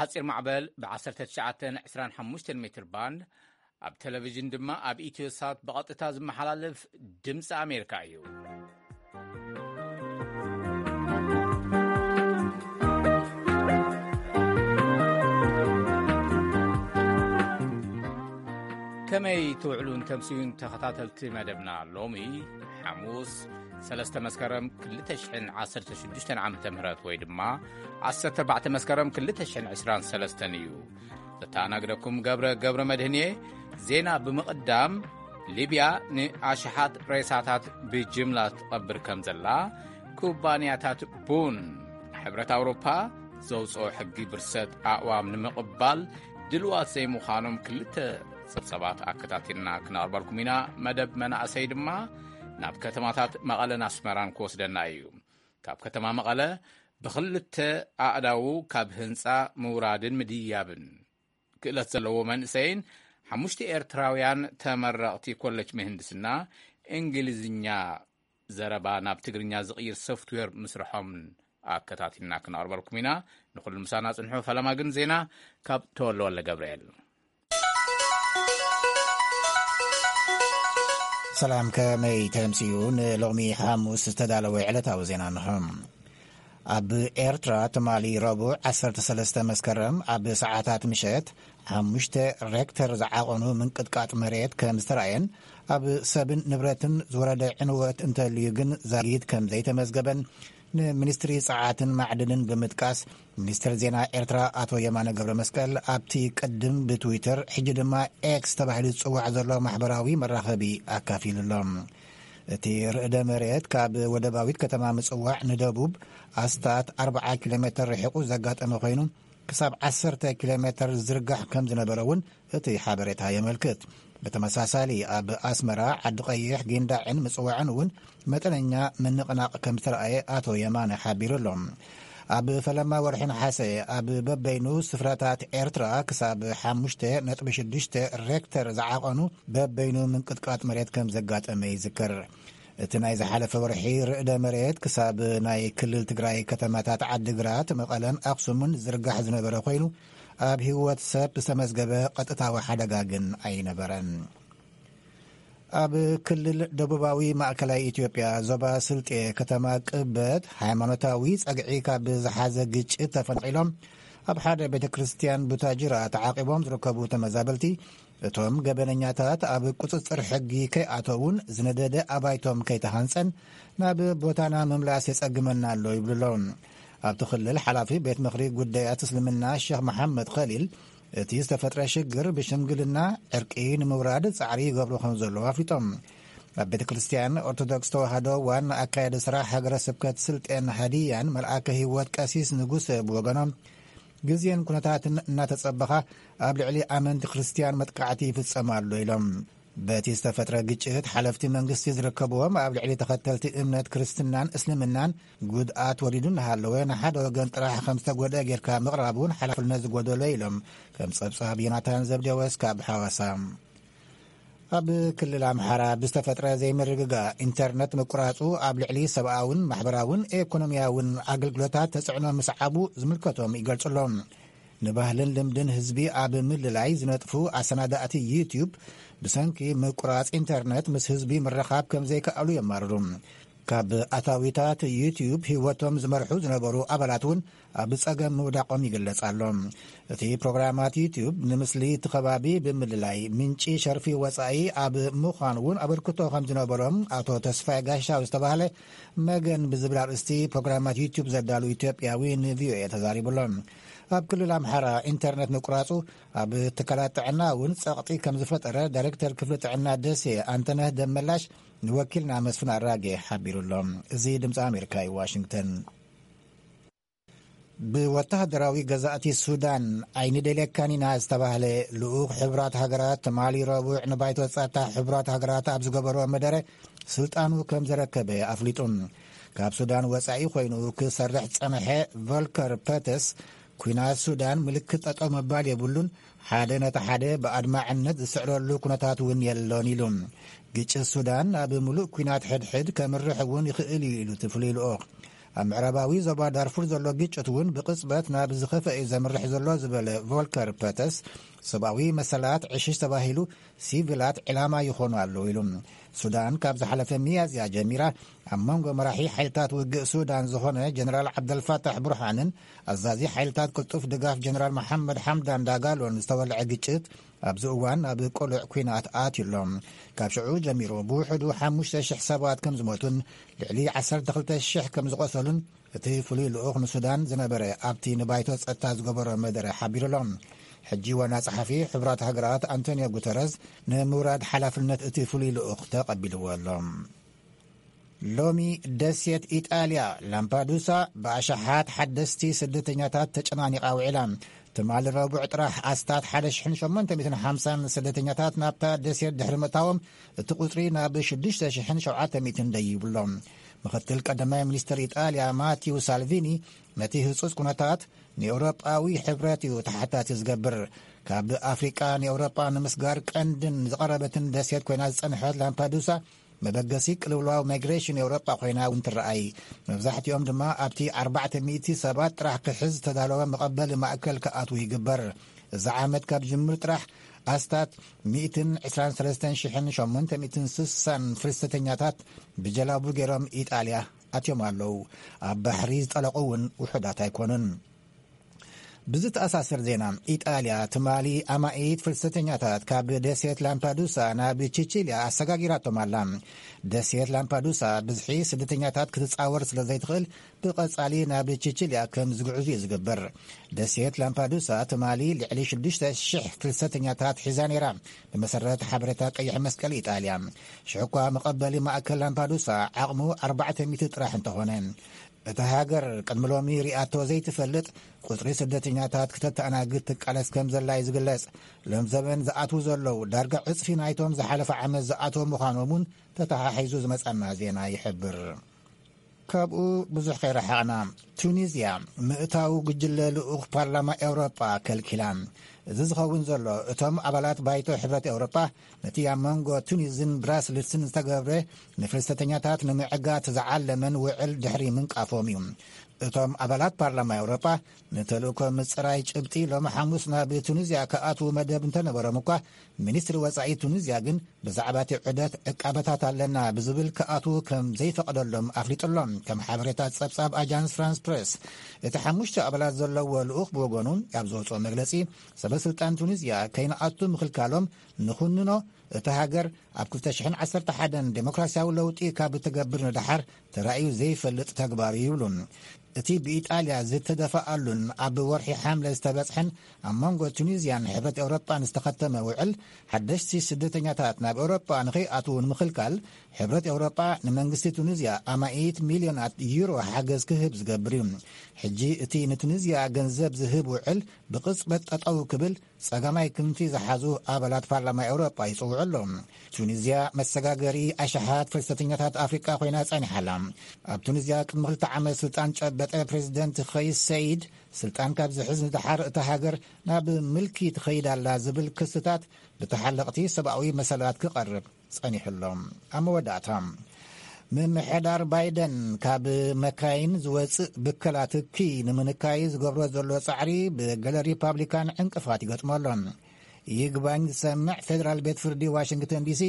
ኣጺር ማዕበል ብ19 25 ሜትር ባንድ፣ ኣብ ቴሌቪዥን ድማ ኣብ ኢትዮ ሳት ብቐጥታ ዝመሓላለፍ ድምፂ ኣሜሪካ እዩ። ከመይ ትውዕሉን ተምስዩን ተኸታተልቲ መደብና? ሎሚ ሓሙስ 3 መስከረም 2016 ዓመተ ምህረት ወይ ድማ 14 መስከረም 2023 እዩ። ዘተኣናግደኩም ገብረ ገብረ መድህን እየ። ዜና ብምቕዳም፣ ሊብያ ንኣሽሓት ሬሳታት ብጅምላ ትቐብር ከም ዘላ፣ ኩባንያታት ቡን ሕብረት ኣውሮፓ ዘውፅኦ ሕጊ ብርሰት ኣእዋም ንምቕባል ድልዋት ዘይምዃኖም ክልተ ጸብጸባት ኣከታቲልና ክነቕርበልኩም ኢና። መደብ መናእሰይ ድማ ናብ ከተማታት መቐለን ኣስመራን ክወስደና እዩ። ካብ ከተማ መቐለ ብኽልተ ኣእዳዉ ካብ ህንጻ ምውራድን ምድያብን ክእለት ዘለዎ መንእሰይን ሓሙሽተ ኤርትራውያን ተመረቕቲ ኮሌጅ ምህንድስና እንግሊዝኛ ዘረባ ናብ ትግርኛ ዝቕይር ሶፍትዌር ምስርሖምን ኣከታቲልና ክነቕርበልኩም ኢና። ንኹሉ ምሳና ጽንሑ። ፈለማ ግን ዜና ካብ ተወልደ ወልደ ገብርኤል። ሰላም፣ ከመይ ተምስዩ? ንሎሚ ሓሙስ ዝተዳለወ ዕለታዊ ዜና እንሆ። ኣብ ኤርትራ ትማሊ ረቡዕ 13 መስከረም ኣብ ሰዓታት ምሸት 5 ሬክተር ዝዓቐኑ ምንቅጥቃጥ መሬት ከም ዝተራእየን፣ ኣብ ሰብን ንብረትን ዝወረደ ዕንወት እንተልዩ ግን ዛጊት ከም ዘይተመዝገበን ንሚኒስትሪ ጸዓትን ማዕድንን ብምጥቃስ፣ ሚኒስትር ዜና ኤርትራ ኣቶ የማነ ገብረ መስቀል ኣብቲ ቅድም ብትዊተር፣ ሕጂ ድማ ኤክስ ተባሂሉ ዝጽዋዕ ዘሎ ማሕበራዊ መራኸቢ ኣካፊሉ ኣሎ። እቲ ርዕደ መሬት ካብ ወደባዊት ከተማ ምጽዋዕ ንደቡብ ኣስታት 40 ኪሎ ሜተር ርሒቑ ዘጋጠመ ኮይኑ፣ ክሳብ 10 ኪሎ ሜተር ዝርጋሕ ከም ዝነበረ እውን እቲ ሓበሬታ የመልክት። ብተመሳሳሊ፣ ኣብ ኣስመራ፣ ዓዲ ቀይሕ፣ ጊንዳዕን ምጽዋዕን እውን መጠነኛ ምንቕናቕ ከም ዝተረኣየ ኣቶ የማነ ሓቢሩ ኣሎ። ኣብ ፈለማ ወርሒ ነሓሰ፣ ኣብ በበይኑ ስፍራታት ኤርትራ ክሳብ 5.6 ሬክተር ዝዓቐኑ በበይኑ ምንቅጥቃጥ መሬት ከም ዘጋጠመ ይዝከር። እቲ ናይ ዝሓለፈ ወርሒ ርዕደ መሬት ክሳብ ናይ ክልል ትግራይ ከተማታት ዓዲግራት፣ መቐለን ኣኽሱምን ዝርጋሕ ዝነበረ ኮይኑ፣ ኣብ ህይወት ሰብ ዝተመዝገበ ቀጥታዊ ሓደጋ ግን ኣይነበረን። ኣብ ክልል ደቡባዊ ማእከላይ ኢትዮጵያ ዞባ ስልጤ ከተማ ቅበት ሃይማኖታዊ ጸግዒ ካብ ዝሓዘ ግጭት ተፈናቒሎም ኣብ ሓደ ቤተ ክርስቲያን ቡታጅራ ተዓቂቦም ዝርከቡ ተመዛበልቲ፣ እቶም ገበነኛታት ኣብ ቁጽጽር ሕጊ ከይኣተውን ዝነደደ ኣባይቶም ከይተሃንጸን ናብ ቦታና ምምላስ የጸግመና ኣሎ ይብሉ ኣለዉ። ኣብቲ ክልል ሓላፊ ቤት ምኽሪ ጉዳያት እስልምና ሸኽ መሓመድ ኸሊል፣ እቲ ዝተፈጥረ ሽግር ብሽምግልና ዕርቂ ንምውራድ ጻዕሪ ይገብሩ ከም ዘለዉ ኣፍሊጦም። ኣብ ቤተ ክርስቲያን ኦርቶዶክስ ተዋህዶ ዋና ኣካያዲ ስራሕ ሃገረ ስብከት ስልጤን ሃዲያን መልኣከ ህይወት ቀሲስ ንጉሰ ብወገኖም፣ ግዜን ኩነታትን እናተጸበኻ ኣብ ልዕሊ ኣመንቲ ክርስቲያን መጥቃዕቲ ይፍጸም ኣሎ ኢሎም። በቲ ዝተፈጥረ ግጭት ሓለፍቲ መንግስቲ ዝርከብዎም ኣብ ልዕሊ ተኸተልቲ እምነት ክርስትናን እስልምናን ጉድኣት ወሪዱ እናሃለወ፣ ንሓደ ወገን ጥራሕ ከም ዝተጎድአ ጌርካ ምቕራብ እውን ሓላፍነት ዝጎደሎ ኢሎም። ከም ጸብጻብ ዮናታን ዘብዴዎስ ካብ ሓዋሳ። ኣብ ክልል ኣምሓራ ብዝተፈጥረ ዘይምርግጋእ ኢንተርነት ምቁራጹ ኣብ ልዕሊ ሰብኣውን ማሕበራውን ኢኮኖሚያውን ኣገልግሎታት ተጽዕኖ ምስዓቡ ዝምልከቶም ይገልጹ ኣለዉ። ንባህልን ልምድን ህዝቢ ኣብ ምልላይ ዝነጥፉ ኣሰናዳእቲ ዩትዩብ ብሰንኪ ምቁራጽ ኢንተርነት ምስ ህዝቢ ምርኻብ ከም ዘይከኣሉ የማርሩ። ካብ ኣታዊታት ዩትዩብ ህይወቶም ዝመርሑ ዝነበሩ ኣባላት እውን ኣብ ጸገም ምውዳቖም ይግለጽ ኣሎ። እቲ ፕሮግራማት ዩትዩብ ንምስሊ እቲ ከባቢ ብምልላይ ምንጪ ሸርፊ ወጻኢ ኣብ ምዃን እውን ኣበርክቶ ከም ዝነበሮም ኣቶ ተስፋይ ጋሻው ዝተባህለ መገን ብዝብል ኣርእስቲ ፕሮግራማት ዩትዩብ ዘዳሉ ኢትዮጵያዊ ንቪኦኤ ተዛሪቡ ኣሎ። ኣብ ክልል ኣምሓራ ኢንተርነት ምቁራጹ ኣብ ትካላት ጥዕና እውን ጸቕጢ ከም ዝፈጠረ ዳይሬክተር ክፍሊ ጥዕና ደሴ ኣንተነህ ደመላሽ ንወኪልና መስፍን ኣራጌ ሓቢሩ ኣሎ። እዚ ድምፂ ኣሜሪካ እዩ፣ ዋሽንግተን። ብወተሃደራዊ ገዛእቲ ሱዳን ኣይንደልየካን ኢና ዝተባህለ ልኡኽ ሕቡራት ሃገራት ትማሊ ረቡዕ ንባይቶ ጸጥታ ሕቡራት ሃገራት ኣብ ዝገበሮ መደረ ስልጣኑ ከም ዘረከበ ኣፍሊጡ። ካብ ሱዳን ወጻኢ ኮይኑ ክሰርሕ ጸንሐ ቮልከር ፐተስ፣ ኲናት ሱዳን ምልክት ጠጠው ምባል የብሉን፣ ሓደ ነቲ ሓደ ብኣድማዕነት ዝስዕረሉ ኩነታት እውን የሎን ኢሉ። ግጭት ሱዳን ናብ ምሉእ ኲናት ሕድሕድ ከምርሕ እውን ይኽእል እዩ ኢሉ እቲ ፍሉይ ልኡኽ። ኣብ ምዕራባዊ ዞባ ዳርፉር ዘሎ ግጭት እውን ብቕጽበት ናብ ዝኸፍአ እዩ ዘምርሕ ዘሎ ዝበለ ቮልከር ፐተስ፣ ሰብኣዊ መሰላት ዕሽሽ ተባሂሉ ሲቪላት ዕላማ ይኾኑ ኣለዉ ኢሉ። ሱዳን ካብ ዝሓለፈ ሚያዝያ ጀሚራ ኣብ መንጎ መራሒ ሓይልታት ውግእ ሱዳን ዝኾነ ጀነራል ዓብደልፋታሕ ቡርሃንን ኣዛዚ ሓይልታት ቅልጡፍ ድጋፍ ጀነራል መሓመድ ሓምዳን ዳጋሎን ዝተወልዐ ግጭት ኣብዚ እዋን ኣብ ቅሉዕ ኲናት ኣትዩ ኣሎ። ካብ ሽዑ ጀሚሩ ብውሕዱ ሓሙሽተ ሽሕ ሰባት ከም ዝሞቱን ልዕሊ ዓሰርተ ክልተ ሽሕ ከም ዝቖሰሉን እቲ ፍሉይ ልኡኽ ንሱዳን ዝነበረ ኣብቲ ንባይቶ ጸጥታ ዝገበሮ መደረ ሓቢሩ ኣሎ። ሕጂ ዋና ጸሓፊ ሕቡራት ሃገራት ኣንቶኒዮ ጉተረዝ ንምውራድ ሓላፍነት እቲ ፍሉይ ልኡኽ ተቐቢልዎ ኣሎ። ሎሚ ደሴት ኢጣልያ ላምፓዱሳ ብኣሽሓት ሓደስቲ ስደተኛታት ተጨናኒቓ ውዒላ። ትማሊ ረቡዕ ጥራሕ ኣስታት ሓደ ሽሕን ሸሞንተ ሚእትን ሓምሳን ስደተኛታት ናብታ ደሴት ድሕሪ ምእታዎም፣ እቲ ቁጽሪ ናብ ሽዱሽተ ሽሕን ሸውዓተ ሚእትን ደይቡ ኣሎ። ምኽትል ቀዳማይ ሚኒስትር ኢጣልያ ማቲው ሳልቪኒ ነቲ ህጹጽ ኩነታት ንኤውሮጳዊ ሕብረት እዩ ተሓታቲ ዝገብር። ካብ ኣፍሪቃ ንኤውሮጳ ንምስጋር ቀንድን ዝቐረበትን ደሴት ኮይና ዝጸንሐት ላምፓዱሳ መበገሲ ቅልውላው ማይግሬሽን ኤውሮጳ ኮይና እውን ትረኣይ። መብዛሕትኦም ድማ ኣብቲ ኣርባዕተ ሚእቲ ሰባት ጥራሕ ክሕዝ ዝተዳለወ መቐበሊ ማእከል ክኣትዉ ይግበር። እዚ ዓመት ካብ ጅምር ጥራሕ ኣስታት ሚእትን ዕስራን ሰለስተን ሽሕን ሸሞንተ ሚእትን ስሳን ፍልሰተኛታት ብጀላቡ ገይሮም ኢጣልያ ኣትዮም ኣለዉ። ኣብ ባሕሪ ዝጠለቑ እውን ውሑዳት ኣይኮኑን። ብዝተኣሳሰር ዜና፣ ኢጣልያ ትማሊ ኣማኢት ፍልሰተኛታት ካብ ደሴት ላምፓዱሳ ናብ ቺቺልያ ኣሰጋጊራቶም ኣላ። ደሴት ላምፓዱሳ ብዝሒ ስደተኛታት ክትጻወር ስለ ዘይትኽእል፣ ብቐጻሊ ናብ ቺቺልያ ከም ዝግዕዙ እዩ ዝግበር። ደሴት ላምፓዱሳ ትማሊ ልዕሊ ሽዱሽተ ሽሕ ፍልሰተኛታት ሒዛ ነይራ፣ ብመሰረት ሓበሬታ ቀይሕ መስቀል ኢጣልያ። ሽሕኳ መቐበሊ ማእከል ላምፓዱሳ ዓቕሙ ኣርባዕተ ሚእቲ ጥራሕ እንተኾነ፣ እታ ሃገር ቅድሚ ሎሚ ሪኣቶ ዘይትፈልጥ ቁጽሪ ስደተኛታት ክተተኣናግድ ትቃለስ ከም ዘላ እዩ ዝግለጽ። ሎም ዘበን ዝኣትዉ ዘለዉ ዳርጋ ዕጽፊ ናይቶም ዝሓለፈ ዓመት ዝኣተዉ ምዃኖም እውን ተተሓሒዙ ዝመጻና ዜና ይሕብር። ካብኡ ብዙሕ ከይረሓቕና፣ ቱኒዝያ ምእታው ጉጅለ ልኡኽ ፓርላማ ኤውሮጳ ከልኪላ። እዚ ዝኸውን ዘሎ እቶም ኣባላት ባይቶ ሕብረት ኤውሮጳ ነቲ ኣብ መንጎ ቱኒዝን ብራስልስን ዝተገብረ ንፍልሰተኛታት ንምዕጋት ዝዓለመን ውዕል ድሕሪ ምንቃፎም እዩ። እቶም ኣባላት ፓርላማ ኤውሮጳ ንተልእኮ ምጽራይ ጭብጢ ሎሚ ሓሙስ ናብ ቱኒዝያ ክኣትዉ መደብ እንተነበሮም እኳ፣ ሚኒስትሪ ወጻኢ ቱኒዝያ ግን ብዛዕባ እቲ ዑደት ዕቃበታት ኣለና ብዝብል ክኣትዉ ከም ዘይፈቐደሎም ኣፍሊጡ ኣሎ። ከም ሓበሬታ ጸብጻብ ኣጃንስ ፍራንስ ፕሬስ፣ እቲ ሓሙሽተ ኣባላት ዘለዎ ልኡኽ ብወገኑ ኣብ ዘውጽኦ መግለጺ፣ ሰበ ስልጣን ቱኒዝያ ከይንኣቱ ምኽልካሎም ንኹንኖ፣ እታ ሃገር ኣብ ክልተ ሽሕን ዓሰርተ ሓደን ዴሞክራሲያዊ ለውጢ ካብ እትገብር ንደሓር ተራእዩ ዘይፈልጥ ተግባር እዩ ይብሉ። እቲ ብኢጣልያ ዝተደፍኣሉን ኣብ ወርሒ ሓምለ ዝተበጽሐን ኣብ መንጎ ቱኒዝያን ሕብረት ኤውሮጳን ዝተኸተመ ውዕል፣ ሓደሽቲ ስደተኛታት ናብ ኤውሮጳ ንኸይኣትዉ ንምኽልካል፣ ሕብረት ኤውሮጳ ንመንግስቲ ቱኒዝያ ኣማኢት ሚልዮናት ዩሮ ሓገዝ ክህብ ዝገብር እዩ። ሕጂ እቲ ንቱኒዝያ ገንዘብ ዝህብ ውዕል ብቕጽበት ጠጠው ክብል ጸጋማይ ክንፊ ዝሓዙ ኣባላት ፓርላማ ኤውሮጳ ይጽውዑ ኣለዉ። ቱኒዝያ መሰጋገሪ ኣሽሓት ፍልሰተኛታት ኣፍሪቃ ኮይና ጸኒሓ ኣላ። ኣብ ቱኒዝያ ቅድሚ ክልተ ዓመት ስልጣን ጨበጠ ፕሬዚደንት ኸይስ ሰይድ፣ ስልጣን ካብ ዝሕዝ ንደሓር እታ ሃገር ናብ ምልኪ ትኸይድ ኣላ ዝብል ክስታት ብተሓለቕቲ ሰብኣዊ መሰላት ክቐርብ ጸኒሑ ኣሎ። ኣብ መወዳእታ፣ ምምሕዳር ባይደን ካብ መካይን ዝወጽእ ብከላ ትኪ ንምንካይ ዝገብሮ ዘሎ ጻዕሪ ብገለ ሪፓብሊካን ዕንቅፋት ይገጥሞ ኣሎ። ይግባኝ ዝሰምዕ ፌደራል ቤት ፍርዲ ዋሽንግተን ዲሲ፣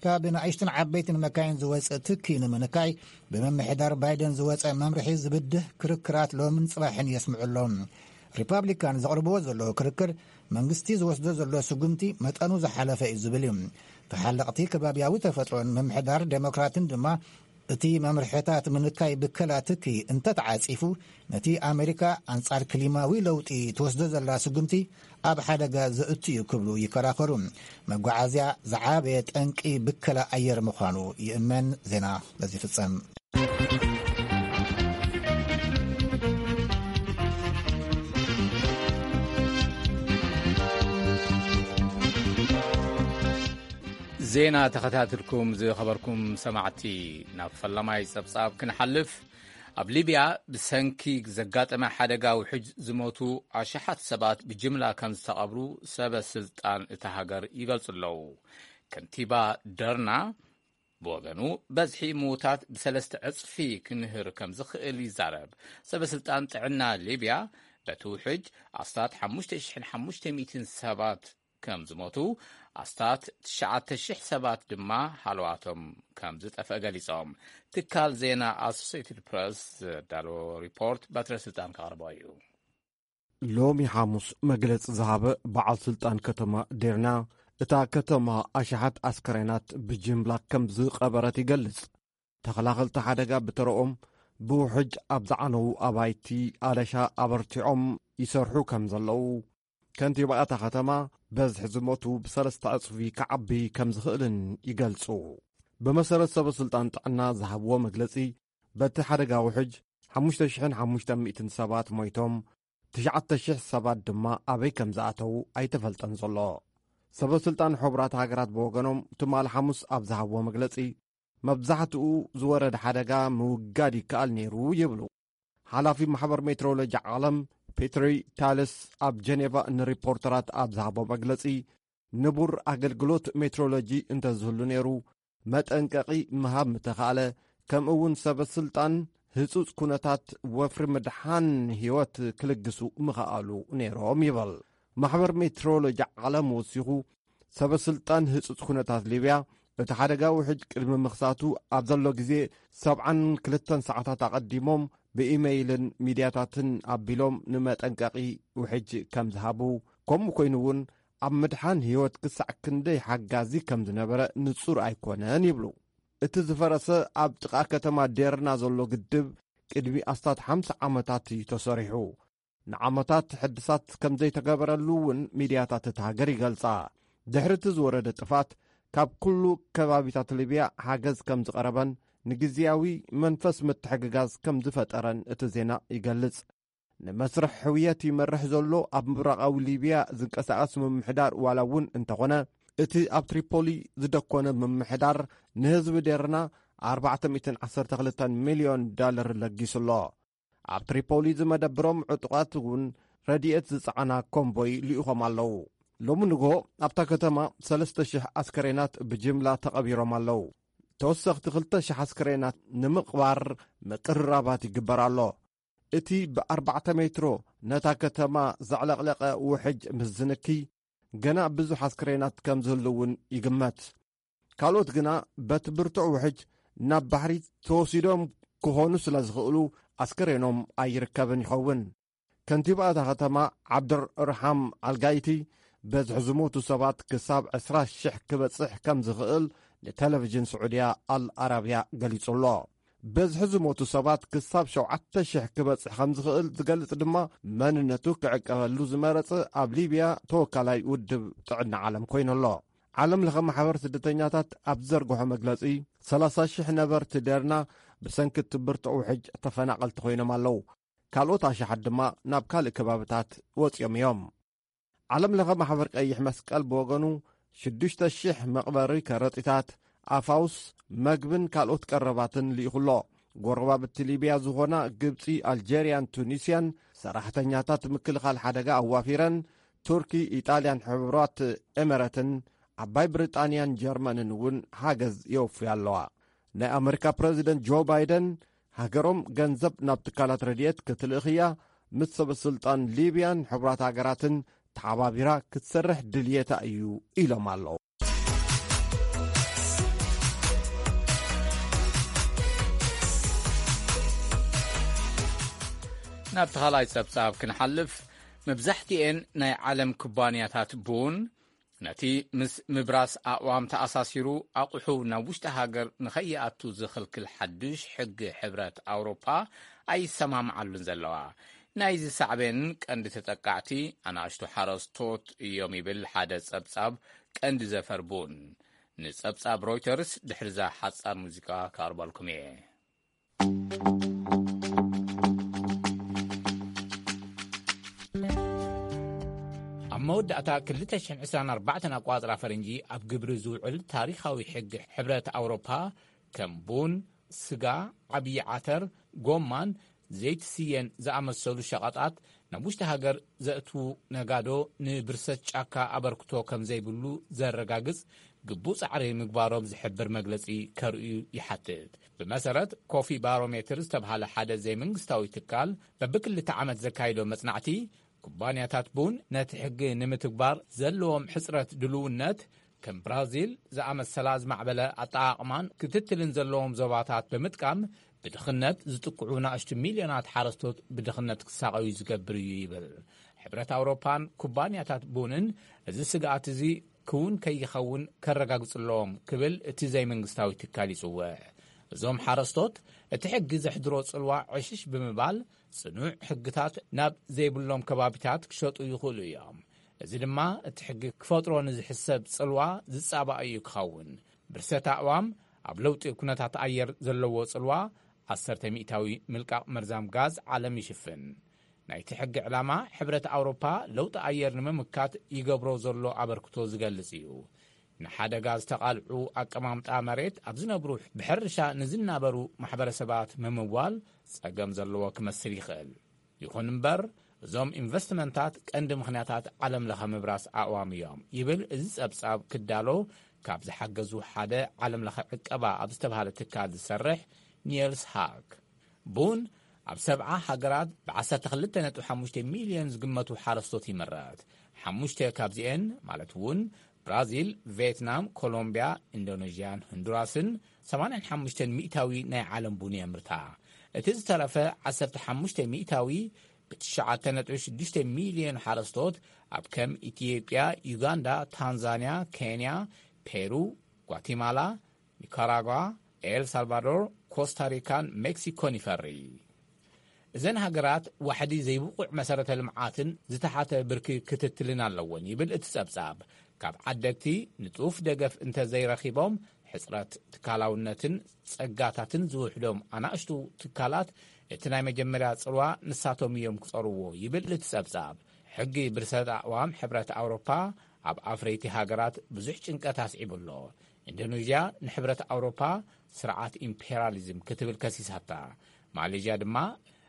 ካብ ንኣሽቱን ዓበይትን መካይን ዝወጽእ ትኪ ንምንካይ ብምምሕዳር ባይደን ዝወጸ መምርሒ ዝብድህ ክርክራት ሎምን ጽባሕን የስምዑ ኣሎ። ሪፓብሊካን ዘቕርብዎ ዘለዉ ክርክር፣ መንግስቲ ዝወስዶ ዘሎ ስጉምቲ መጠኑ ዝሓለፈ እዩ ዝብል እዩ። ተሓለቕቲ ከባብያዊ ተፈጥሮን ምምሕዳር ዴሞክራትን ድማ፣ እቲ መምርሕታት ምንካይ ብከላ ትኪ እንተተዓጺፉ፣ ነቲ ኣሜሪካ ኣንጻር ክሊማዊ ለውጢ ትወስዶ ዘላ ስጉምቲ ኣብ ሓደጋ ዘእቱ እዩ ክብሉ ይከራኸሩ። መጓዓዝያ ዝዓበየ ጠንቂ ብከላ ኣየር ምዃኑ ይእመን። ዜና በዚ ይፍጸም። ዜና ተኸታትልኩም ዝኸበርኩም ሰማዕቲ፣ ናብ ፈለማይ ጸብጻብ ክንሓልፍ፣ ኣብ ሊብያ ብሰንኪ ዘጋጠመ ሓደጋ ውሕጅ ዝሞቱ ኣሽሓት ሰባት ብጅምላ ከም ዝተቐብሩ ሰበ ስልጣን እታ ሃገር ይገልጹ ኣለዉ። ከንቲባ ደርና ብወገኑ፣ በዝሒ ምዉታት ብሰለስተ ዕጽፊ ክንህር ከም ዝኽእል ይዛረብ። ሰበ ስልጣን ጥዕና ሊብያ፣ በቲ ውሕጅ ኣስታት ሓሙሽተ ሽሕን ሓሙሽተ ሚእትን ሰባት ከም ዝሞቱ፣ ኣስታት ትሽዓተ ሽሕ ሰባት ድማ ሃለዋቶም ከም ዝጠፍአ ገሊጾም። ትካል ዜና ኣሶሴትድ ፕረስ ዘዳለዎ ሪፖርት በትረ ስልጣን ከቕርቦ እዩ። ሎሚ ሓሙስ መግለጺ ዝሃበ በዓል ስልጣን ከተማ ዴርና፣ እታ ከተማ ኣሽሓት ኣስከሬናት ብጅምላ ከም ዝቐበረት ይገልጽ። ተኸላኸልቲ ሓደጋ ብተረኦም ብውሕጅ ኣብ ዝዓነዉ ኣባይቲ ኣለሻ ኣበርቲዖም ይሰርሑ ከም ዘለዉ፣ ከንቲባ እታ ከተማ በዝሒ ዝሞቱ ብሰለስተ ዕጽፊ ክዓቢ ከም ዝኽእልን ይገልጹ። ብመሰረት ሰበ ስልጣን ጥዕና ዝሃብዎ መግለጺ፣ በቲ ሓደጋ ውሕጅ ሓሙሽተ ሽሕን ሓሙሽተ ሚእትን ሰባት ሞይቶም፣ ትሽዓተ ሽሕ ሰባት ድማ ኣበይ ከም ዝኣተዉ ኣይተፈልጠን ዘሎ። ሰበ ስልጣን ሕቡራት ሃገራት ብወገኖም፣ ትማሊ ሓሙስ ኣብ ዝሃብዎ መግለጺ፣ መብዛሕትኡ ዝወረደ ሓደጋ ምውጋድ ይከኣል ነይሩ ይብሉ። ሓላፊ ማሕበር ሜትሮሎጂ ዓለም ፔትሪ ታለስ ኣብ ጀኔቫ ንሪፖርተራት ኣብ ዝሃቦ መግለጺ፣ ንቡር ኣገልግሎት ሜትሮሎጂ እንተዝህሉ ነይሩ፣ መጠንቀቒ ምሃብ ምተኻእለ፣ ከምኡ እውን ሰበ ስልጣን ህጹጽ ኩነታት ወፍሪ ምድሓን ህይወት ክልግሱ ምኸኣሉ ነይሮም ይበል። ማሕበር ሜትሮሎጂ ዓለም ወሲኹ፣ ሰበ ስልጣን ህጹጽ ኩነታት ሊብያ፣ እቲ ሓደጋ ውሕጅ ቅድሚ ምኽሳቱ ኣብ ዘሎ ግዜ ሰብዓን ክልተን ሰዓታት ኣቐዲሞም ብኢመይልን ሚድያታትን ኣቢሎም ንመጠንቀቒ ውሕጅ ከም ዝሃቡ፣ ከምኡ ኮይኑ እውን ኣብ ምድሓን ህይወት ክሳዕ ክንደይ ሓጋዚ ከም ዝነበረ ንጹር ኣይኮነን ይብሉ። እቲ ዝፈረሰ ኣብ ጥቓ ከተማ ዴርና ዘሎ ግድብ ቅድሚ ኣስታት ሓምሳ ዓመታት እዩ ተሰሪሑ። ንዓመታት ሕድሳት ከም ዘይተገበረሉ እውን ሚድያታት እታ ሃገር ይገልጻ። ድሕሪ እቲ ዝወረደ ጥፋት፣ ካብ ኩሉ ከባቢታት ሊብያ ሓገዝ ከም ዝቐረበን ንግዝያዊ መንፈስ ምትሕግጋዝ ከም ዝፈጠረን እቲ ዜና ይገልጽ። ንመስርሕ ሕውየት ይመርሕ ዘሎ ኣብ ምብራቓዊ ሊብያ ዝንቀሳቐስ ምምሕዳር ዋላ እውን እንተኾነ፣ እቲ ኣብ ትሪፖሊ ዝደኮነ ምምሕዳር ንህዝቢ ዴርና ኣርባዕተ ሚእትን ዓሰርተ ክልተን ሚልዮን ዳለር ለጊሱ ኣሎ። ኣብ ትሪፖሊ ዝመደብሮም ዕጡቓት እውን ረድኤት ዝጸዓና ኮምቦይ ልኢኾም ኣለዉ። ሎሚ ንግሆ ኣብታ ከተማ ሰለስተ ሽሕ ኣስከሬናት ብጅምላ ተቐቢሮም ኣለዉ። ተወሰኽቲ ክልተ ሽሕ ኣስከሬናት ንምቕባር ምቅርራባት ይግበር ኣሎ። እቲ ብኣርባዕተ ሜትሮ ነታ ከተማ ዘዕለቕለቐ ውሕጅ ምስ ዝንኪ፣ ገና ብዙሕ ኣስከሬናት ከም ዝህሉ እውን ይግመት። ካልኦት ግና በቲ ብርቱዕ ውሕጅ ናብ ባሕሪ ተወሲዶም ክኾኑ ስለ ዝኽእሉ፣ ኣስከሬኖም ኣይርከብን ይኸውን። ከንቲባ እታ ከተማ ዓብደርርሓም ኣልጋይቲ፣ በዝሒ ዝሞቱ ሰባት ክሳብ ዕስራ ሽሕ ክበጽሕ ከም ዝኽእል ንቴሌቪዥን ስዑድያ ኣል ኣራብያ ገሊጹ ኣሎ። በዝሒ ዝሞቱ ሰባት ክሳብ ሸውዓተ ሽሕ ክበጽሕ ከም ዝኽእል ዝገልጽ ድማ፣ መንነቱ ክዕቀበሉ ዝመረጸ ኣብ ሊብያ ተወካላይ ውድብ ጥዕና ዓለም ኮይኑ ኣሎ። ዓለም ለኸ ማሕበር ስደተኛታት ኣብ ዝዘርግሖ መግለጺ፣ ሰላሳ ሽሕ ነበርቲ ደርና ብሰንኪ እቲ ብርቱዕ ውሕጅ ተፈናቐልቲ ኮይኖም ኣለዉ። ካልኦት ኣሽሓት ድማ ናብ ካልእ ከባብታት ወጺኦም እዮም። ዓለም ለኸ ማሕበር ቀይሕ መስቀል ብወገኑ፣ ሽዱሽተ ሽሕ መቕበሪ ከረጢታት፣ ኣፋውስ፣ መግብን ካልኦት ቀረባትን ልኢኹ ኣሎ። ጎረባብቲ ሊብያ ዝኾና ግብጺ፣ ኣልጀርያን ቱኒስያን ሰራሕተኛታት ምክልኻል ሓደጋ ኣዋፊረን፣ ቱርኪ፣ ኢጣልያን ሕቡራት ኤመረትን ዓባይ ብሪጣንያን ጀርመንን እውን ሓገዝ የወፍያ ኣለዋ። ናይ ኣመሪካ ፕረዚደንት ጆ ባይደን፣ ሃገሮም ገንዘብ ናብ ትካላት ረድኤት ክትልእኽ እያ፣ ምስ ሰበ ስልጣን ሊብያን ሕቡራት ሃገራትን ተሓባቢራ ክትሰርሕ ድልየታ እዩ ኢሎም ኣለዉ። ናብቲ ካልኣይ ጸብጻብ ክንሓልፍ፣ መብዛሕትኤን ናይ ዓለም ኩባንያታት ቡን፣ ነቲ ምስ ምብራስ ኣእዋም ተኣሳሲሩ ኣቑሑ ናብ ውሽጢ ሃገር ንኸይኣቱ ዝኽልክል ሓድሽ ሕጊ ሕብረት ኣውሮፓ ኣይሰማምዓሉን ዘለዋ። ናይዚ ሳዕቤን ቀንዲ ተጠቃዕቲ ኣናእሽቱ ሓረስቶት እዮም ይብል ሓደ ጸብጻብ ቀንዲ ዘፈር ቡን። ንጸብጻብ ሮይተርስ ድሕሪዛ ሓጻር ሙዚቃ ከቕርበልኩም እየ። ኣብ መወዳእታ ክልተ ሽሕን ዕስራን ኣርባዕተን ኣቋጽራ ፈረንጂ ኣብ ግብሪ ዝውዕል ታሪኻዊ ሕጊ ሕብረት ኣውሮፓ፣ ከም ቡን፣ ስጋ፣ ዓብዪ ዓተር፣ ጎማን ዘይቲ ስየን ዝኣመሰሉ ሸቐጣት ናብ ውሽጢ ሃገር ዘእትዉ ነጋዶ ንብርሰት ጫካ ኣበርክቶ ከም ዘይብሉ ዘረጋግጽ ግቡእ ጻዕሪ ምግባሮም ዝሕብር መግለጺ ከርእዩ ይሓትት። ብመሰረት ኮፊ ባሮሜትር ዝተብሃለ ሓደ ዘይመንግስታዊ ትካል፣ በብክልተ ዓመት ዘካይዶ መጽናዕቲ፣ ኩባንያታት ቡን ነቲ ሕጊ ንምትግባር ዘለዎም ሕጽረት ድልውነት፣ ከም ብራዚል ዝኣመሰላ ዝማዕበለ ኣጠቓቕማን ክትትልን ዘለዎም ዞባታት ብምጥቃም፣ ብድኽነት ዝጥቅዑ ናእሽቱ ሚልዮናት ሓረስቶት ብድኽነት ክሳቐዩ ዝገብር እዩ ይብል። ሕብረት ኣውሮፓን ኩባንያታት ቡንን እዚ ስግኣት እዚ ክውን ከይኸውን ከረጋግጹ ኣለዎም ክብል እቲ ዘይመንግስታዊ ትካል ይጽውዕ። እዞም ሓረስቶት እቲ ሕጊ ዘሕድሮ ጽልዋ ዕሽሽ ብምባል፣ ጽኑዕ ሕግታት ናብ ዘይብሎም ከባቢታት ክሸጡ ይኽእሉ እዮም። እዚ ድማ እቲ ሕጊ ክፈጥሮ ንዝሕሰብ ጽልዋ ዝጻባእ እዩ ክኸውን። ብርሰት ኣእዋም ኣብ ለውጢ ኩነታት ኣየር ዘለዎ ጽልዋ ዓሰርተ ሚእታዊ ምልቃቕ መርዛም ጋዝ ዓለም ይሽፍን። ናይቲ ሕጊ ዕላማ ሕብረት ኣውሮፓ ለውጢ ኣየር ንምምካት ይገብሮ ዘሎ ኣበርክቶ ዝገልጽ እዩ። ንሓደጋ ዝተቓልዑ ኣቀማምጣ መሬት ኣብ ዝነብሩ ብሕርሻ ንዝናበሩ ማሕበረሰባት ምምዋል ጸገም ዘለዎ ክመስል ይኽእል። ይኹን እምበር፣ እዞም ኢንቨስትመንታት ቀንዲ ምኽንያታት ዓለም ለኸ ምብራስ ኣእዋም እዮም ይብል እዚ ጸብጻብ ክዳሎ ካብ ዝሓገዙ ሓደ ዓለም ለኸ ዕቀባ ኣብ ዝተባህለ ትካል ዝሰርሕ ኒየልስ ሃክ። ቡን ኣብ ሰብዓ ሃገራት ብ ዓሰርተ ክልተ ነጥቢ ሓሙሽተ ሚልዮን ዝግመቱ ሓረስቶት ይምረት። ሓሙሽተ ካብዚኤን ማለት እውን ብራዚል፣ ቬትናም፣ ኮሎምቢያ፣ ኢንዶኔዥያን ሁንዱራስን ሰማንያን ሓሙሽተን ሚእታዊ ናይ ዓለም ቡን የምርታ። እቲ ዝተረፈ ዓሰርተ ሓሙሽተ ሚእታዊ ብ9.6 ሚልዮን ሓረስቶት ኣብ ከም ኢትዮጵያ፣ ዩጋንዳ፣ ታንዛንያ፣ ኬንያ፣ ፔሩ፣ ጓቲማላ፣ ኒካራጓ፣ ኤል ሳልቫዶር፣ ኮስታሪካን ሜክሲኮን ይፈሪ። እዘን ሃገራት ዋሕዲ ዘይብቑዕ መሰረተ ልምዓትን ዝተሓተ ብርኪ ክትትልን ኣለወን ይብል እቲ ጸብጻብ። ካብ ዓደግቲ ንጡፍ ደገፍ እንተዘይረኺቦም፣ ሕጽረት ትካላውነትን ጸጋታትን ዝውሕዶም ኣናእሽቱ ትካላት እቲ ናይ መጀመርያ ጽልዋ ንሳቶም እዮም ክጸርዎ ይብል እቲ ጸብጻብ። ሕጊ ብርሰት ኣእዋም ሕብረት ኣውሮፓ ኣብ ኣፍረይቲ ሃገራት ብዙሕ ጭንቀት ኣስዒቡ ኣሎ። ኢንዶኔዥያ ንሕብረት ኣውሮፓ ስርዓት ኢምፔሪያሊዝም ክትብል ከሲሳታ። ማሌዥያ ድማ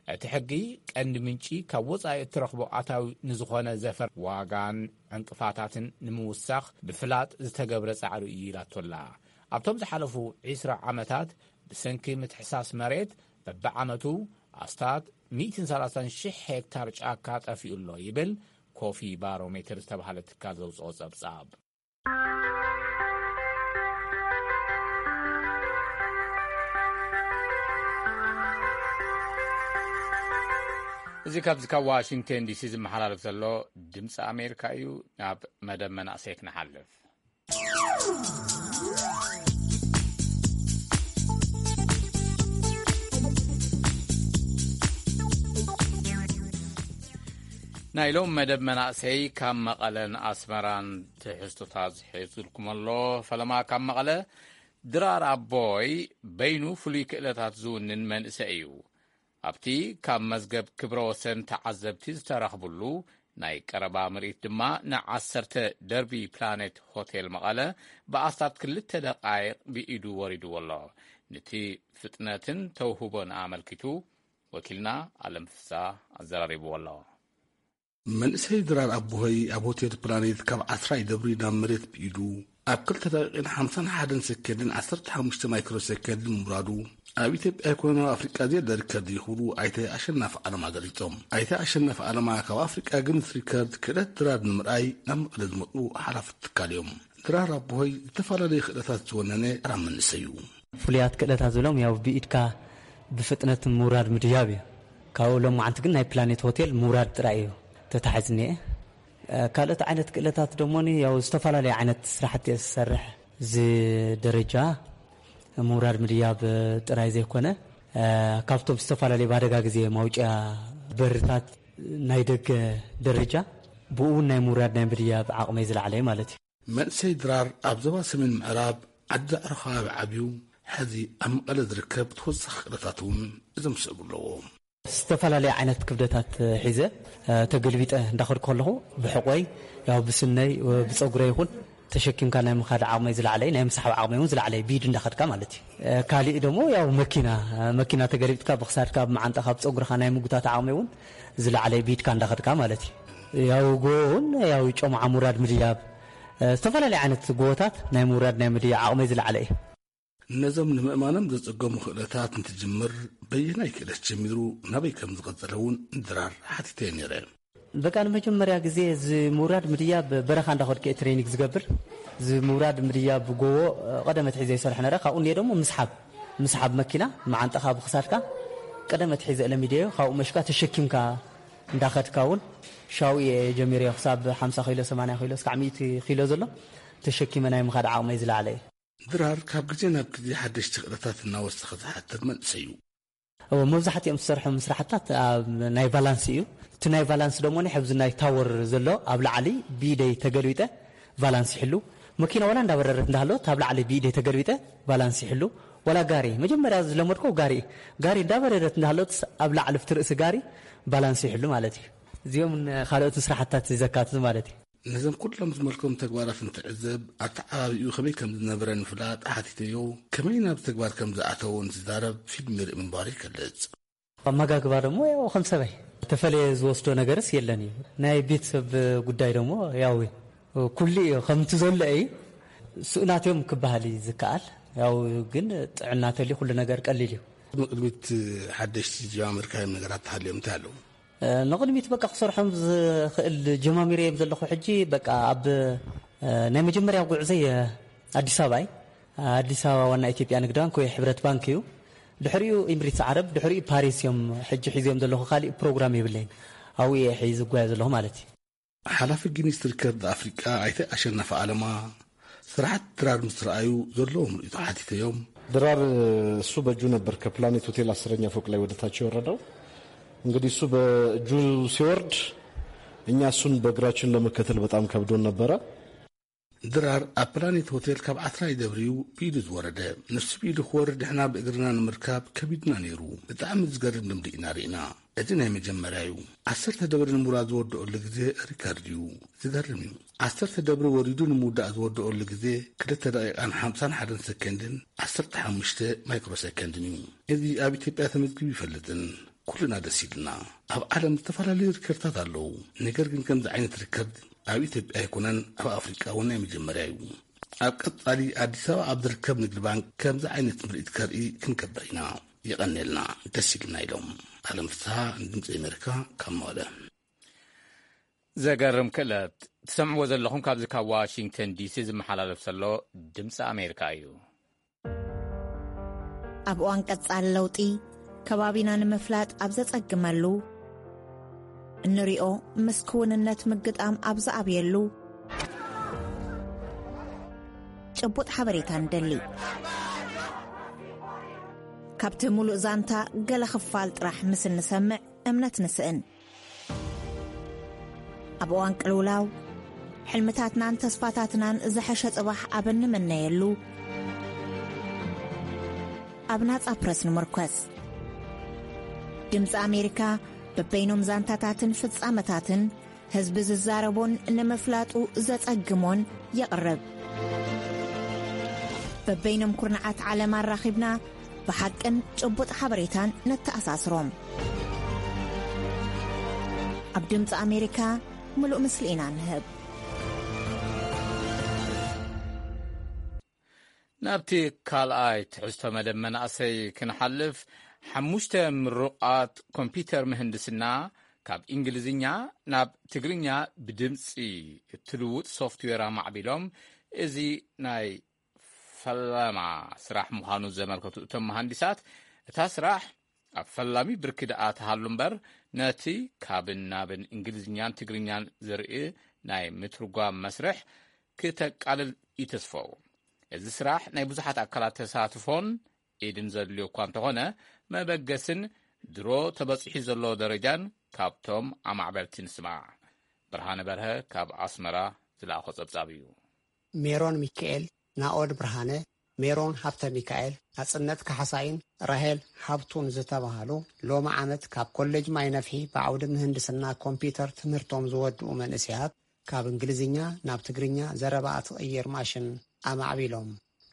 እቲ ሕጊ ቀንዲ ምንጪ ካብ ወጻኢ እትረኽቦ ኣታዊ ንዝኾነ ዘፈር ዋጋን ዕንቅፋታትን ንምውሳኽ ብፍላጥ ዝተገብረ ጻዕሪ እዩ ኢላቶላ። ኣብቶም ዝሓለፉ ዒስራ ዓመታት ብሰንኪ ምትሕሳስ መሬት በብዓመቱ ኣስታት ሚእትን ሰላሳን ሽሕ ሄክታር ጫካ ጠፊኡ ኣሎ ይብል ኮፊ ባሮሜትር ዝተባህለ ትካል ዘውጽኦ ጸብጻብ። እዚ ካብዚ ካብ ዋሽንግተን ዲሲ ዝመሓላለፍ ዘሎ ድምፂ ኣሜሪካ እዩ። ናብ መደብ መናእሰይ ክንሓልፍ። ናይ ሎም መደብ መናእሰይ ካብ መቐለን ኣስመራን ትሕዝቶታት ዝሕዝልኩም ኣሎ። ፈለማ ካብ መቐለ፣ ድራር ኣቦይ በይኑ ፍሉይ ክእለታት ዝውንን መንእሰይ እዩ። ኣብቲ ካብ መዝገብ ክብረ ወሰን ተዓዘብቲ ዝተረኽብሉ ናይ ቀረባ ምርኢት ድማ ንዓሰርተ ደርቢ ፕላኔት ሆቴል መቐለ ብኣስታት ክልተ ደቃይቕ ብኢዱ ወሪድዎ ኣሎ። ነቲ ፍጥነትን ተውህቦን ኣመልኪቱ ወኪልና ኣለም ፍሳ ኣዘራሪብዎ ኣሎ። መንእሰይ ድራር ኣቦሆይ ኣብ ሆቴል ፕላኔት ካብ ዓስራይ ደብሪ ናብ መሬት ብኢዱ ኣብ ክልተ ደቂቕን ሓምሳን ሓደን ሰከንድን ዓሰርተ ሓሙሽተ ማይክሮ ሰከንድን ምውራዱ፣ ኣብ ኢትዮጵያ ኣይኮነ ኣብ ኣፍሪቃ ዘየለ ሪከርድ እዩ ክብሉ ኣይተ ኣሸናፊ ኣለማ ገሊጾም። ኣይተ ኣሸናፊ ኣለማ ካብ ኣፍሪቃ ግንስ ሪከርድ ክእለት ድራር ንምርኣይ ናብ መቐለ ዝመጹ ሓላፊ ትካል እዮም። ድራር ኣቦሆይ ዝተፈላለዩ ክእለታት ዝወነነ ተራ መንእሰይ እዩ። ፍሉያት ክእለታት ዝብሎም ያው ብኢድካ ብፍጥነት ምውራድ ምድያብ እዩ። ካብኡ ሎማዓንቲ ግን ናይ ፕላኔት ሆቴል ምውራድ ጥራይ እዩ ተታሒዙ እኒኤ። ካልኦት ዓይነት ክእለታት ደሞኒ ያው ዝተፈላለዩ ዓይነት ስራሕቲ እየ ዝሰርሕ። እዚ ደረጃ ምውራድ ምድያብ ጥራይ ዘይኮነ፣ ካብቶም ዝተፈላለዩ ብኣደጋ ግዜ ማውጫ በርታት ናይ ደገ ደረጃ ብኡ እውን ናይ ምውራድ ናይ ምድያብ ዓቕመይ ዝለዓለ እዩ ማለት እዩ። መንእሰይ ድራር ኣብ ዞባ ሰሜን ምዕራብ ዓዲ ዳዕሮ ከባቢ ዓብዩ፣ ሕዚ ኣብ መቐለ ዝርከብ ተወሳኺ ክእለታት እውን ዘምስዕቡ ኣለዎ። ዝተፈላለየ ዓይነት ክብደታት ሒዘ ተገልቢጠ እንዳኸድኩ ከለኹ ብሕቆይ ያው ብስነይ ብፀጉረይ ይኹን ተሸኪምካ ናይ ምኻድ ዓቕመይ ዝለዓለይ ናይ ምስሓብ ዓቕመይ እውን ዝለዓለይ ብኢድ እንዳኸድካ ማለት እዩ። ካሊእ ደሞ ያው መኪና መኪና ተገልቢጥካ ብክሳድካ ብመዓንጣኻ ብፀጉርኻ ናይ ምጉታት ዓቕመይ እውን ዝለዓለይ ብኢድካ እንዳኸድካ ማለት እዩ። ያው ጎ እውን ያው ጮምዓ ሙራድ ምድያብ ዝተፈላለዩ ዓይነት ጎቦታት ናይ ምውራድ ናይ ምድያ ዓቕመይ ዝለዓለ እዩ። ነዞም ንምእማኖም ዘጸገሙ ክእለታት እንትጅምር፣ በየናይ ክእለት ጀሚሩ ናበይ ከም ዝቐጸለ እውን ድራር ሓቲተዮ ነይረ። በቃ ንመጀመርያ ግዜ እዚ ምውራድ ምድያ ብበረኻ እንዳኸድኩ እየ ትሬኒንግ ዝገብር። እዚ ምውራድ ምድያ ብጎቦ ቀደመት ሒዘ ይሰርሕ ነረ። ካብኡ እንድየ ደሞ ምስሓብ፣ ምስሓብ መኪና መዓንጠኻ ብክሳድካ ቀደመት ሒዘ ለሚደዮ። ካብኡ መሽካ ተሸኪምካ እንዳኸድካ እውን ሻው እየ ጀሚረዮ። ክሳብ ሓምሳ ኪሎ፣ ሰማንያ ኪሎ፣ እስካዕ ሚእቲ ኪሎ ዘሎ ተሸኪመ ናይ ምኻድ ዓቕመይ ዝለዓለ እዩ። ድራር ካብ ግዜ ናብ ግዜ ሓደሽቲ ክእለታት እናወሰኸ ዝሓድር መንእሰይ እዩ። እዎ፣ መብዛሕትኦም ዝሰርሖም ስራሕታት ኣብ ናይ ቫላንስ እዩ። እቲ ናይ ቫላንስ ደሞ ናይ ኣብዚ ናይ ታወር ዘሎ ኣብ ላዕሊ ብኢደይ ተገልቢጠ ቫላንስ ይሕሉ። መኪና ዋላ እንዳበረረት እንዳሃለወት ኣብ ላዕሊ ብኢደይ ተገልቢጠ ቫላንስ ይሕሉ። ዋላ ጋሪ፣ መጀመርያ ዝለመድኮ ጋሪ እዩ። ጋሪ እንዳበረረት እንዳሃለወት ኣብ ላዕሊ ኣብቲ ርእሲ ጋሪ ቫላንስ ይሕሉ ማለት እዩ። እዚኦም ካልኦት ስራሕታት ዘካትት ማለት እዩ። ነዞም ኩሎም ዝመልከቶም ተግባራት እንትዕዘብ፣ ኣተዓባቢኡ ከመይ ከም ዝነበረ ንምፍላጥ ሓቲተዮ፣ ከመይ ናብ ተግባር ከም ዝኣተዎ እንትዛረብ ፊልም ይርኢ ምንባሩ ይገልጽ። ኣመጋግባ ደሞ ያው ከም ሰበይ ተፈለየ ዝወስዶ ነገርስ የለን እዩ። ናይ ቤተሰብ ጉዳይ ደሞ ያው ኩሉ እዩ ከምቲ ዘሎ እዩ። ስኡናት እዮም ክበሃል እዩ ዝከኣል። ያው ግን ጥዕና ተልዩ ኩሉ ነገር ቀሊል እዩ። ቅድሚት ሓደሽቲ ጀማምርካዮም ነገራት ተሃልዮም እንታይ ኣለዉ? እ፣ ንቕድሚት በቃ ክሰርሖም ዝኽእል ጀማሚረ እዮም ዘለኹ። ሕጂ በቃ ኣብ፣ እ፣ ናይ መጀመርያ ጉዕዘይ፣ እ፣ ኣዲስ ኣበባ እዩ። ኣዲስ ኣበባ ዋና ኢትዮጵያ ንግድ ባንክ ወይ ሕብረት ባንክ እዩ። ድሕሪኡ ኢምሪትስ ዓረብ፣ ድሕሪኡ ፓሪስ እዮም ሕጂ ሒዝዮም ዘለኹ። ካሊእ ፕሮግራም የብለይን። ኣብኡ እየ ሕጂ ዝጓየ ዘለኹ ማለት እዩ። ሓላፊ ጊኒስ ሪከርድ ኣፍሪቃ ኣይተ ኣሸናፊ ኣለማ ስራሓት ድራር ምስ ረኣዩ ዘለዎም ርእይቶ ሓቲተዮም። ድራር እሱ በእጁ ነበር ከፕላኔት ሆቴል አስረኛ ፎቅ ላይ ወደ ታች የወረደው። እንግዲህ እሱ በእጁ ሲወርድ እኛ እሱን በእግራችን ለመከተል በጣም ከብዶን ነበረ። ድራር ኣብ ፕላኔት ሆቴል ካብ ዓስራይ ደብሪዩ ብኢዱ ዝወረደ። ንሱ ብኢዱ ክወርድ ንሕና ብእግርና ንምርካብ ከቢድና ነይሩ። ብጣዕሚ ዝገርም ልምዲ ኢና ርኢና። እዚ ናይ መጀመርያ እዩ። ዓሰርተ ደብሪ ንምውራድ ዝወደኦሉ ግዜ ሪከርድ እዩ። ዝገርም እዩ። ዓሰርተ ደብሪ ወሪዱ ንምውዳእ ዝወደኦሉ ግዜ ክልተ ደቂቃን ሓምሳን ሓደን ሰከንድን ዓሰርተ ሓሙሽተ ማይክሮ ሰከንድን እዩ። እዚ ኣብ ኢትዮጵያ ተመዝጊቡ ይፈልጥን። ኩልና ደስ ኢሉና። ኣብ ዓለም ዝተፈላለዩ ሪከርድታት ኣለዉ። ነገር ግን ከምዚ ዓይነት ሪከርድ ኣብ ኢትዮጵያ ኣይኮነን፣ ኣብ ኣፍሪቃ እውን ናይ መጀመርያ እዩ። ኣብ ቀጻሊ ኣዲስ ኣበባ ኣብ ዝርከብ ንግዲ ባንክ ከምዚ ዓይነት ምርኢት ከርኢ ክንገብር ኢና። የቐንየልና፣ ደስ ኢሉና ኢሎም። ኣለም ፍስሃ፣ ድምፂ ኣሜሪካ፣ ካብ መቐለ። ዘገርም ክእለት ትሰምዕዎ ዘለኹም ካብዚ ካብ ዋሽንግተን ዲሲ ዝመሓላለፍ ዘሎ ድምፂ ኣሜሪካ እዩ። ኣብ እዋን ቀጻሊ ለውጢ፣ ከባቢና ንምፍላጥ ኣብ ዘጸግመሉ፣ እንሪኦ ምስ ክውንነት ምግጣም ኣብ ዝኣብየሉ፣ ጭቡጥ ሓበሬታ ንደሊ። ካብቲ ምሉእ ዛንታ ገለ ክፋል ጥራሕ ምስ እንሰምዕ እምነት ንስእን። ኣብ እዋን ቅልውላው፣ ሕልምታትናን ተስፋታትናን ዝሐሸ ጽባሕ ኣብ እንምነየሉ፣ ኣብ ናጻ ፕረስ ንምርኮስ። ድምጺ ኣሜሪካ በበይኖም ዛንታታትን ፍጻመታትን ህዝቢ ዝዛረቦን ንምፍላጡ ዘጸግሞን የቕርብ። በበይኖም ኩርናዓት ዓለም ኣራኺብና ብሓቅን ጭቡጥ ሓበሬታን ነተኣሳስሮም። ኣብ ድምፂ ኣሜሪካ ምሉእ ምስሊ ኢና ንህብ። ናብቲ ካልኣይ ትሕዝቶ መደብ መናእሰይ ክንሓልፍ፣ ሓሙሽተ ምሩቓት ኮምፒውተር ምህንድስና ካብ እንግሊዝኛ ናብ ትግርኛ ብድምፂ እትልውጥ ሶፍትዌር ኣማዕቢሎም። እዚ ናይ ፈለማ ስራሕ ምዃኑ ዘመልከቱ እቶም መሃንዲሳት፣ እታ ስራሕ ኣብ ፈላሚ ብርኪ ደኣ ትሃሉ እምበር፣ ነቲ ካብን ናብን እንግሊዝኛን ትግርኛን ዘርኢ ናይ ምትርጓም መስርሕ ክተቃልል ይተስፈው። እዚ ስራሕ ናይ ብዙሓት ኣካላት ተሳትፎን ኢድን ዘድልዮ እኳ እንተኾነ፣ መበገስን ድሮ ተበጺሑ ዘሎ ደረጃን ካብቶም ኣማዕበልቲ ንስማዕ። ብርሃነ በርሀ ካብ ኣስመራ ዝለኣኾ ጸብጻብ እዩ። ሜሮን ሚካኤል፣ ናኦድ ብርሃነ፣ ሜሮን ሃብተ ሚካኤል፣ ናጽነት ካሕሳይን ራሄል ሃብቱን ዝተባህሉ ሎሚ ዓመት ካብ ኮሌጅ ማይ ነፍሒ ብዓውዲ ምህንድስና ኮምፒውተር ትምህርቶም ዝወድኡ መንእሰያት ካብ እንግሊዝኛ ናብ ትግርኛ ዘረባ እትቕይር ማሽን ኣማዕቢሎም።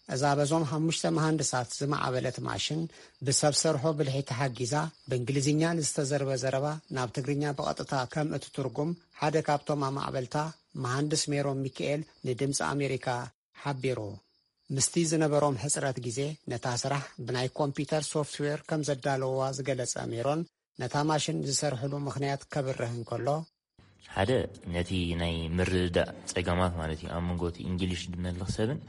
እዛ በዞም ሓሙሽተ መሃንድሳት ዝማዕበለት ማሽን ብሰብ ሰርሖ ብልሒ ተሓጊዛ ብእንግሊዝኛ ንዝተዘርበ ዘረባ ናብ ትግርኛ ብቐጥታ ከም እትትርጉም ሓደ ካብቶም ኣማዕበልታ መሃንድስ ሜሮን ሚካኤል ንድምፂ ኣሜሪካ ሓቢሩ። ምስቲ ዝነበሮም ሕፅረት ግዜ ነታ ስራሕ ብናይ ኮምፒውተር ሶፍትዌር ከም ዘዳለውዋ ዝገለጸ ሜሮን፣ ነታ ማሽን ዝሰርሕሉ ምኽንያት ከብርህ እንከሎ፣ ሓደ ነቲ ናይ ምርድዳእ ጸገማት ማለት እዩ። ኣብ መንጎ እቲ እንግሊሽ ድመልኽ ሰብን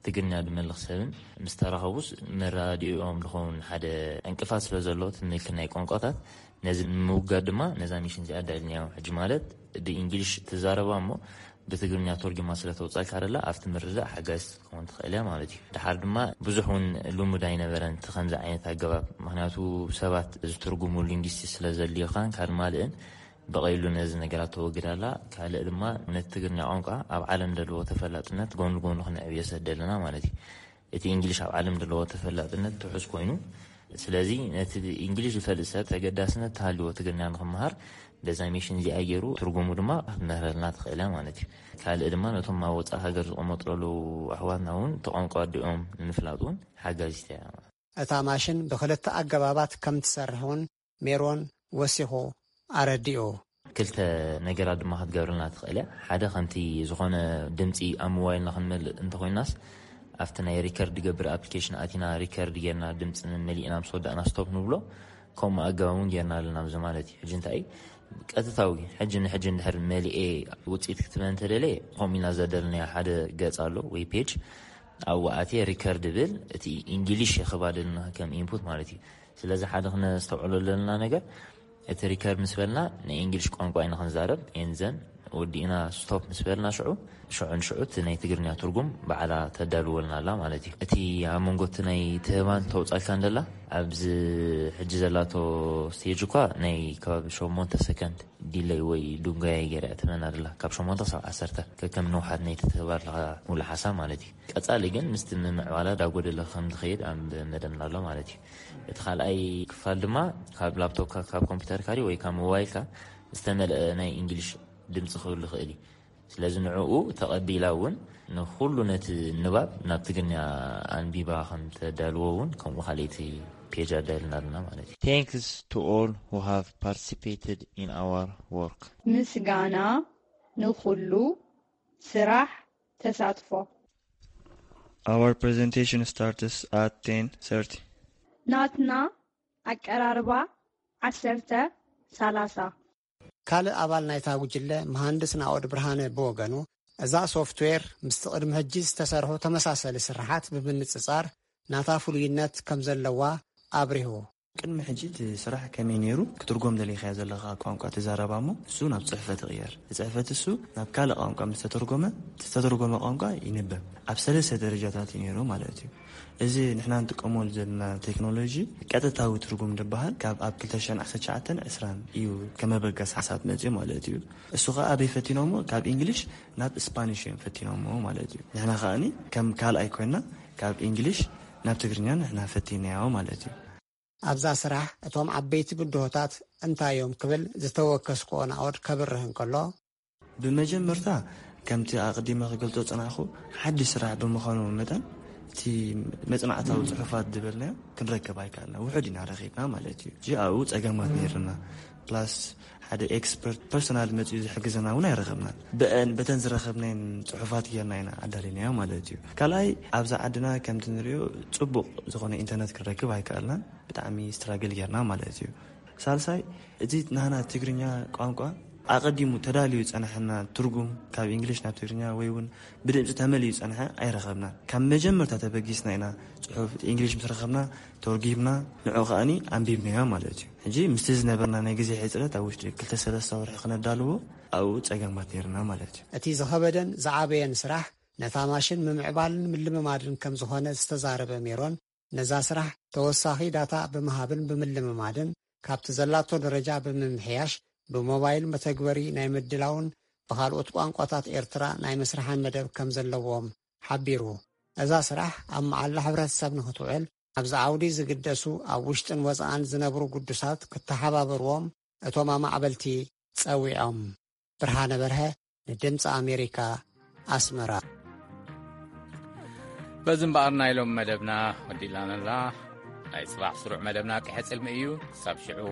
ትግርኛ ድመልኽ ሰብን ምስ ተራኸቡስ መራድኦም ዝኸውን ሓደ ዕንቅፋት ስለ ዘሎ፣ እቲ ምልክት ናይ ቋንቋታት ነዚ ንምውጋድ ድማ ነዛ ሚሽን እዚኣ ኣዳሊናዮ። ሕጂ ማለት ብእንግሊሽ ትዛረባ እሞ ብትግርኛ ተርጉማ ስለ ተውጻልካ ደላ ኣብቲ ምርዳእ ሓጋዚት ክትከውን ትኽእል እያ ማለት እዩ። ድሓር ድማ ብዙሕ እውን ልሙድ ኣይነበረን እቲ ከምዚ ዓይነት ኣገባብ፣ ምኽንያቱ ሰባት ዝትርጉሙ ሊንግዊስቲስት ስለ ዘድልዩኻን ካልእ ማልእን ብቐይሉ ነዚ ነገራት ተወግድ ኣላ። ካልእ ድማ ነቲ ትግርኛ ቋንቋ ኣብ ዓለም ዘለዎ ተፈላጥነት ጎን ጎኑ ክነዕብዮ ስለ ደለና ማለት እዩ። እቲ እንግሊሽ ኣብ ዓለም ዘለዎ ተፈላጥነት ትሑዝ ኮይኑ፣ ስለዚ ነቲ እንግሊሽ ዝፈልጥ ሰብ ተገዳስነት ተሃልዎ ትግርኛ ንክመሃር በዛ ሚሽን እዚኣ ገይሩ ትርጉሙ ድማ ክትምህረልና ትኽእል እያ ማለት እዩ። ካልእ ድማ ነቶም ኣብ ወፃኢ ሃገር ዝቕመጡ ዘለዉ ኣሕዋትና እውን እቲ ቋንቋ ኣዲኦም ንምፍላጥ እውን ሓጋዚት እያ። እታ ማሽን ብኽልተ ኣገባባት ከም ትሰርሕ እውን ሜሮን ወሲኹ ኣረዲኡ። ክልተ ነገራት ድማ ክትገብርልና ትኽእል እያ። ሓደ ከምቲ ዝኾነ ድምፂ ኣብ ሞባይልና ክንመልእ እንተኮይናስ ኣብቲ ናይ ሪከርድ ገብር ኣፕሊኬሽን ኣቲና ሪከርድ ጌርና ድምፂ መሊእና ምስ ወዳእና ስቶፕ ንብሎ። ከምኡ ኣገባብ እውን ጌርና ኣለና። ብዚ ማለት እዩ ሕጂ እንታይ እዩ ቀጥታዊ ሕጂ ንሕጂ እንድሕር መሊኤ ውፅኢት ክትበ እንተደለየ ከምኡ ኢና ዘደልናዮ ሓደ ገፅ ኣሎ ወይ ፔጅ ኣብኡ ኣትየ ሪከርድ ብል እቲ ኢንግሊሽ የኽባደልና ከም ኢንፑት ማለት እዩ። ስለዚ ሓደ ክነስተውዕሎ ዘለና ነገር እቲ ሪከርድ ምስ በልና ናይ ኢንግሊሽ ቋንቋ ኢና ክንዛረብ ኤንዘን ወዲእና ስቶፕ ምስ በልና ሽዑ ሽዑ ንሽዑ እቲ ናይ ትግርኛ ትርጉም ባዕላ ተዳልወልና ኣላ ማለት እዩ። እቲ ኣብ መንጎ እቲ ናይ ትህባን ተውጻልካ እንደላ ኣብዚ ሕጂ ዘላቶ ስቴጅ እኳ ናይ ከባቢ ሸሞንተ ሰከንድ ዲለይ ወይ ዱንጋይ ገይራ እያ ትህበና ደላ ካብ ሸሞንተ ክሳብ ዓሰርተ ከከም ንውሓት ናይ ትትህባ ኣለኻ ሙሉ ሓሳብ ማለት እዩ። ቀጻሊ ግን ምስቲ ምምዕባላ ዳጎደለ ከም ዝኸይድ ኣብ መደብና ኣሎ ማለት እዩ። እቲ ካልኣይ ክፋል ድማ ካብ ላፕቶፕካ ካብ ኮምፒውተርካ ድዩ ወይ ካብ ሞባይልካ ዝተመልአ ናይ እንግሊሽ ድምፂ ክህሉ ይኽእል እዩ። ስለዚ ንዕኡ ተቐቢላ እውን ንኹሉ ነቲ ንባብ ናብ ትግርኛ ኣንቢባ ከም ተዳልዎ እውን ከምኡ ካልኣይቲ ፔጅ ኣዳልና ኣለና ማለት እዩ። Thanks to all who have participated in our work. ምስጋና ንኹሉ ስራሕ ተሳትፎ። Our presentation starts at ten thirty. ናትና ኣቀራርባ ዓሰርተ ሰላሳ። ካልእ ኣባል ናይታ ጉጅለ መሃንድስ ናኦድ ብርሃነ ብወገኑ፣ እዛ ሶፍትዌር ምስቲ ቅድሚ ሕጂ ዝተሰርሑ ተመሳሰሊ ስርሓት ብምንጽጻር ናታ ፍሉይነት ከም ዘለዋ ኣብሪሁ። ቅድሚ ሕጂ እቲ ስራሕ ከመይ ነይሩ? ክትርጎም ደሊኻዮ ዘለኻ ቋንቋ ትዛረባ እሞ እሱ ናብ ጽሕፈት ይቕየር። እቲ ጽሕፈት እሱ ናብ ካልእ ቋንቋ ምስ ተተርጎመ፣ እቲ ዝተተርጎመ ቋንቋ ይንበብ። ኣብ ሰለስተ ደረጃታት እዩ ነይሩ ማለት እዩ። እዚ ንሕና ንጥቀመሉ ዘለና ቴክኖሎጂ ቀጥታዊ ትርጉም ዝበሃል ካብ ኣብ ክልተ ሽሕን ዓሰርተ ትሽዓተን ዕስራን እዩ ከመበገስ ሓሳብ መፅዩ ማለት እዩ። እሱ ከዓ ኣበይ ፈቲኖሞ? ካብ ኢንግሊሽ ናብ ስፓኒሽ እዮም ፈቲኖሞ ማለት እዩ። ንሕና ከዓኒ ከም ካልኣይ ኮይና ካብ ኢንግሊሽ ናብ ትግርኛ ንሕና ፈቲናዮ ማለት እዩ። ኣብዛ ስራሕ እቶም ዓበይቲ ብድሆታት እንታይ እዮም ክብል ዝተወከስክዎ ናኦድ ከብርህ እንከሎ፣ ብመጀመርታ ከምቲ ኣቕዲመ ክገልጾ ጽናሕኩ ሓድሽ ስራሕ ብምዃኑ መጠን እቲ መጽናዕታዊ ጽሑፋት ዝበልናዮ ክንረክብ ኣይከኣልና። ውሑድ ኢና ረኺብና ማለት እዩ። ሕጂ ኣብኡ ጸገማት ነይርና። ፕላስ ሓደ ኤክስፐርት ፐርሶናል መጺኡ ዝሕግዘና እውን ኣይረኸብናን። ብአን በተን ዝረኸብናየን ጽሑፋት ጌርና ኢና ኣዳሊናዮ ማለት እዩ። ካልኣይ ኣብዛ ዓድና ከምቲ ንሪኦ ጽቡቕ ዝኾነ ኢንተርነት ክንረክብ ኣይከኣልናን። ብጣዕሚ ስትራግል ጌርና ማለት እዩ። ሳልሳይ እቲ ናህና ትግርኛ ቋንቋ ኣቐዲሙ ተዳልዩ ዝጸንሐና ትርጉም ካብ ኢንግሊሽ ናብ ትግርኛ ወይ እውን ብድምፂ ተመልዩ ዝጸንሐ ኣይረኸብናን። ካብ መጀመርታ ተበጊስና ኢና ጽሑፍ ኢንግሊሽ ምስ ረኸብና ተርጊምና ንዑ ከኣኒ ኣንቢብናዮ ማለት እዩ። ሕጂ ምስቲ ዝነበርና ናይ ግዜ ሕፅረት ኣብ ውሽጢ ክልተ ሰለስተ ወርሒ ክነዳልዎ ኣብኡ ጸገማት ነይርና ማለት እዩ። እቲ ዝኸበደን ዝዓበየን ስራሕ ነታ ማሽን ምምዕባልን ምልምማድን ከም ዝኾነ ዝተዛረበ ሜሮን፣ ነዛ ስራሕ ተወሳኺ ዳታ ብምሃብን ብምልምማድን ካብቲ ዘላቶ ደረጃ ብምምሕያሽ ብሞባይል መተግበሪ ናይ ምድላውን ብኻልኦት ቋንቋታት ኤርትራ ናይ ምስርሓን መደብ ከም ዘለዎም ሓቢሩ። እዛ ስራሕ ኣብ መዓላ ሕብረተሰብ ንኽትውዕል ኣብዚ ዓውዲ ዝግደሱ ኣብ ውሽጥን ወፃእን ዝነብሩ ግዱሳት ክተሓባበርዎም እቶም ኣማዕበልቲ ጸዊዖም። ብርሃነ በርሀ ንድምፂ ኣሜሪካ ኣስመራ። በዚ እምበኣር ናይ ሎም መደብና ወዲእላና። ናይ ጽባሕ ስሩዕ መደብና ክሕጽልሚ እዩ። ክሳብ ሽዑ